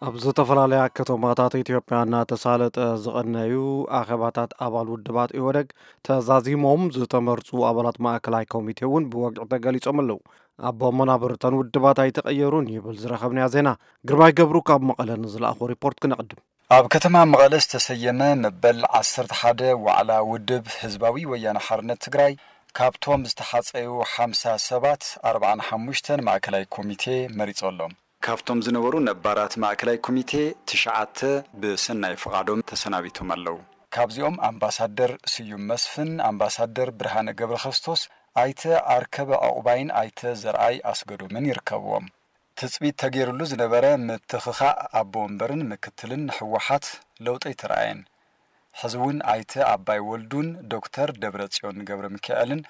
ኣብ ዝተፈላለያ ከተማታት ኢትዮጵያ እናተሳለጠ ዝቐነዩ ኣኼባታት ኣባል ውድባት ኢህወደግ ተዛዚሞም ዝተመርጹ ኣባላት ማእከላይ ኮሚቴ እውን ብወግዒ ተገሊጾም ኣለዉ። ኣቦ መናብርተን ውድባት ኣይተቐየሩን ይብል ዝረኸብናዮ ዜና። ግርማይ ገብሩ ካብ መቐለ ንዝለኣኾ ሪፖርት ክነቕድም። ኣብ ከተማ መቐለ ዝተሰየመ መበል ዓሰርተ ሓደ ዋዕላ ውድብ ህዝባዊ ወያነ ሓርነት ትግራይ ካብቶም ዝተሓጸዩ ሓምሳ ሰባት ኣርባዓን ሓሙሽተን ማእከላይ ኮሚቴ መሪጾ ኣሎ። ካብቶም ዝነበሩ ነባራት ማእከላይ ኮሚቴ ትሽዓተ ብሰናይ ፍቓዶም ተሰናቢቶም ኣለዉ። ካብዚኦም ኣምባሳደር ስዩም መስፍን፣ ኣምባሳደር ብርሃነ ገብረክርስቶስ፣ ኣይተ ኣርከበ ዕቑባይን ኣይተ ዘርኣይ ኣስገዶምን ይርከብዎም። ትጽቢት ተገይሩሉ ዝነበረ ምትኽኻእ ኣቦ ወንበርን ምክትልን ንህወሓት ለውጢ ኣይተረኣየን። ሕዚ እውን ኣይተ ኣባይ ወልዱን ዶክተር ደብረጽዮን ገብረ ሚካኤልን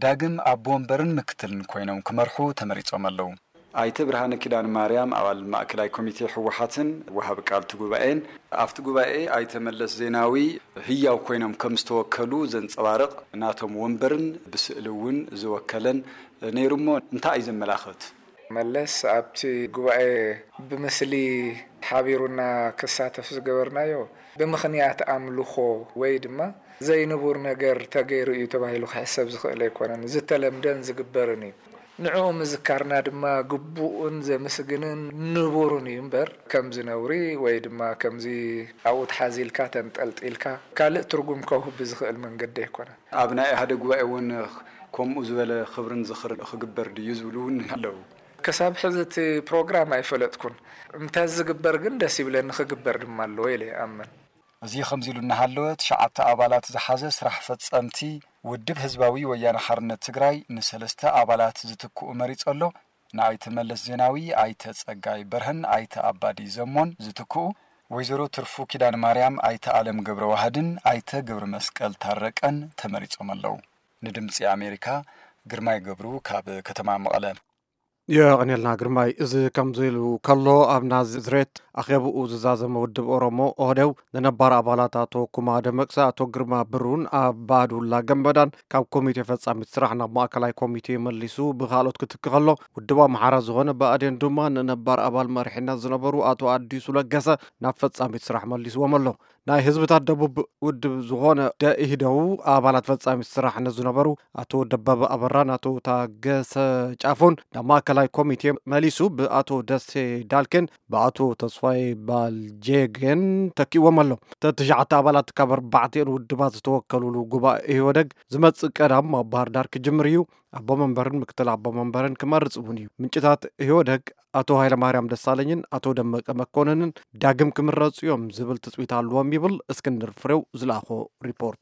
ዳግም ኣቦ ወንበርን ምክትልን ኮይኖም ክመርሑ ተመሪጾም ኣለዉ። ኣይተ ብርሃነ ኪዳን ማርያም ኣባል ማእከላይ ኮሚቴ ህወሓትን ወሃቢ ቃል እቲ ጉባኤን ኣብቲ ጉባኤ ኣይተ መለስ ዜናዊ ህያው ኮይኖም ከም ዝተወከሉ ዘንጸባርቕ ናቶም ወንበርን ብስእሊ እውን ዝወከለን ነይሩ እሞ እንታይ እዩ ዘመላኽት? መለስ ኣብቲ ጉባኤ ብምስሊ ሓቢሩና ክሳተፍ ዝገበርናዮ ብምኽንያት ኣምልኾ ወይ ድማ ዘይንቡር ነገር ተገይሩ እዩ ተባሂሉ ክሕሰብ ዝኽእል ኣይኮነን። ዝተለምደን ዝግበርን እዩ። ንዕኡ ምዝካርና ድማ ግቡእን ዘምስግንን ንቡርን እዩ እምበር፣ ከምዚ ነውሪ ወይ ድማ ከምዚ ኣብኡ ተሓዚልካ ተንጠልጢልካ ካልእ ትርጉም ከውህብ ብዝኽእል መንገዲ ኣይኮነን። ኣብ ናይ ኢህኣዴግ ጉባኤ እውን ከምኡ ዝበለ ክብርን ዝኽርን ክግበር ድዩ ዝብሉ እውን ኣለዉ። ክሳብ ሕዚ እቲ ፕሮግራም ኣይፈለጥኩን። እንተ ዝግበር ግን ደስ ይብለኒ፣ ክግበር ድማ ኣለዎ ኢለ ይኣምን። እዚ ከምዚ ኢሉ እናሃለወ፣ ትሽዓተ ኣባላት ዝሓዘ ስራሕ ፈጸምቲ ውድብ ህዝባዊ ወያነ ሓርነት ትግራይ ንሰለስተ ኣባላት ዝትክኡ መሪጹ ኣሎ። ንኣይተ መለስ ዜናዊ፣ ኣይተ ጸጋይ በርሀን ኣይተ ኣባዲ ዘሞን ዝትክኡ፣ ወይዘሮ ትርፉ ኪዳነ ማርያም፣ ኣይተ ኣለም ገብረ ዋህድን ኣይተ ገብረ መስቀል ታረቀን ተመሪጾም ኣለዉ። ንድምጺ ኣሜሪካ፣ ግርማይ ገብሩ ካብ ከተማ መቐለ። የቐኔልና ግርማይ። እዚ ከምዚ ኢሉ ከሎ፣ ኣብ ናዝሬት ኣኼብኡ ዝዛዘመ ውድብ ኦሮሞ ኦህዴው ንነባር ኣባላት ኣቶ ኩማ ደመቅሳ፣ ኣቶ ግርማ ብሩን ኣባዱላ ገንበዳን ካብ ኮሚቴ ፈጻሚት ስራሕ ናብ ማእከላይ ኮሚቴ መሊሱ ብኻልኦት ክትኪ ከሎ፣ ውድብ ኣምሓራ ዝኾነ ብኣዴን ድማ ንነባር ኣባል መሪሕነት ዝነበሩ ኣቶ ኣዲሱ ለገሰ ናብ ፈጻሚት ስራሕ መሊስዎም ኣሎ። ናይ ህዝብታት ደቡብ ውድብ ዝኾነ ደኢህደው ኣባላት ፈጻሚት ስራሕ ንዝነበሩ ኣቶ ደበበ ኣበራን ኣቶ ታገሰ ጫፎን ናብ ማእከላይ ኮሚቴ መሊሱ ብኣቶ ደሴ ዳልኬን ብኣቶ ተስፋይ ባልጄጌን ተኪእዎም ኣሎ። እተን ትሽዓተ ኣባላት ካብ ኣርባዕቲኦን ውድባት ዝተወከሉሉ ጉባኤ ኢህወደግ ዝመጽእ ቀዳም ኣብ ባህር ዳር ክጅምር እዩ። ኣቦ መንበርን ምክትል ኣቦ መንበርን ክመርጽ እውን እዩ። ምንጭታት ኢህወደግ ኣቶ ሃይለማርያም ደሳለኝን ኣቶ ደመቀ መኮነንን ዳግም ክምረጹ እዮም ዝብል ትጽቢት ኣለዎም ይብል እስክንድር ፍሬው ዝለኣኾ ሪፖርት።